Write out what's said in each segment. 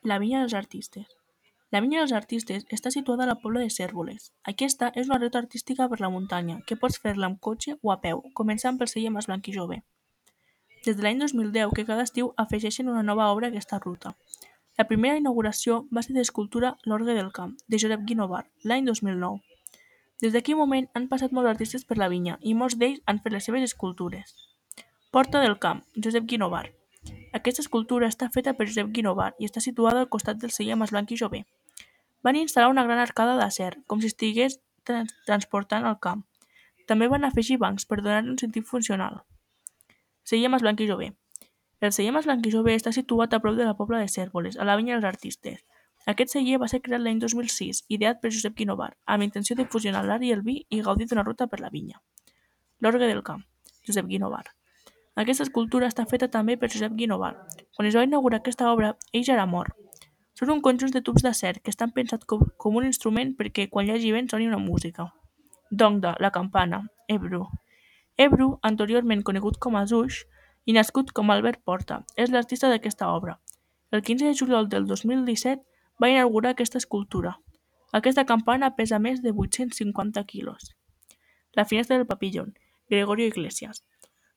La Vinya dels Artistes. La Vinya dels Artistes està situada a la Pobla de Cérvoles. Aquesta és una ruta artística per la muntanya, que pots fer-la amb cotxe o a peu, començant pel celler Mas Blanc i Jove. Des de l'any 2010 que cada estiu afegeixen una nova obra a aquesta ruta. La primera inauguració va ser d'escultura L'Orgue del Camp, de Josep Guinovar, l'any 2009. Des d'aquell moment han passat molts artistes per la vinya i molts d'ells han fet les seves escultures. Porta del Camp, Josep Guinovar. Aquesta escultura està feta per Josep Guinovar i està situada al costat del celler Mas Blanc i Jove. Van instal·lar una gran arcada d'acer, com si estigués transportant el camp. També van afegir bancs per donar-li un sentit funcional. Celler Mas Blanc i Jove. El celler Mas Blanc i Jove està situat a prop de la Pobla de Cérvoles, a la Vinya dels Artistes. Aquest celler va ser creat l'any 2006, ideat per Josep Guinovar, amb intenció de fusionar l'art i el vi i gaudir d'una ruta per la vinya. L'Orgue del Camp, Josep Guinovar. Aquesta escultura està feta també per Josep Guinovar. Quan es va inaugurar aquesta obra, ell ja era mort. Són un conjunt de tubs d'acer que estan pensats com un instrument perquè quan hi hagi vent soni una música. Dongda, la campana, Ebru. Ebru, anteriorment conegut com a Zuix i nascut com Albert Porta, és l'artista d'aquesta obra. El 15 de juliol del 2017 va inaugurar aquesta escultura. Aquesta campana pesa més de 850 quilos. La finestra del papillon, Gregorio Iglesias.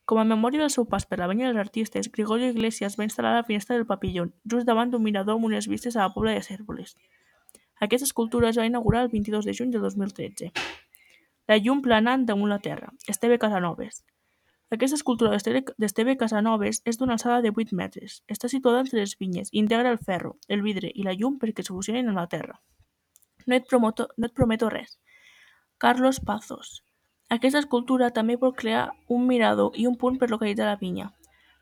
Com a memòria del seu pas per la Vinya dels Artistes, Gregorio Iglesias va instal·lar la finestra del papillon, just davant d'un mirador amb unes vistes a la Pobla de Cérvoles. Aquesta escultura es va inaugurar el 22 de juny del 2013. La llum planant damunt la terra, Esteve Casanovas. Aquesta escultura d'Esteve Casanovas és d'una alçada de 8 metres. Està situada entre les vinyes i integra el ferro, el vidre i la llum perquè es fusionin amb la terra. No et prometo res. Carlos Pazos. Aquesta escultura també vol crear un mirador i un punt per localitzar la vinya.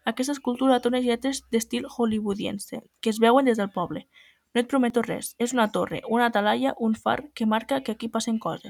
Aquesta escultura té unes lletres d'estil hollywoodiense, que es veuen des del poble. No et prometo res, és una torre, una talaia, un far que marca que aquí passen coses.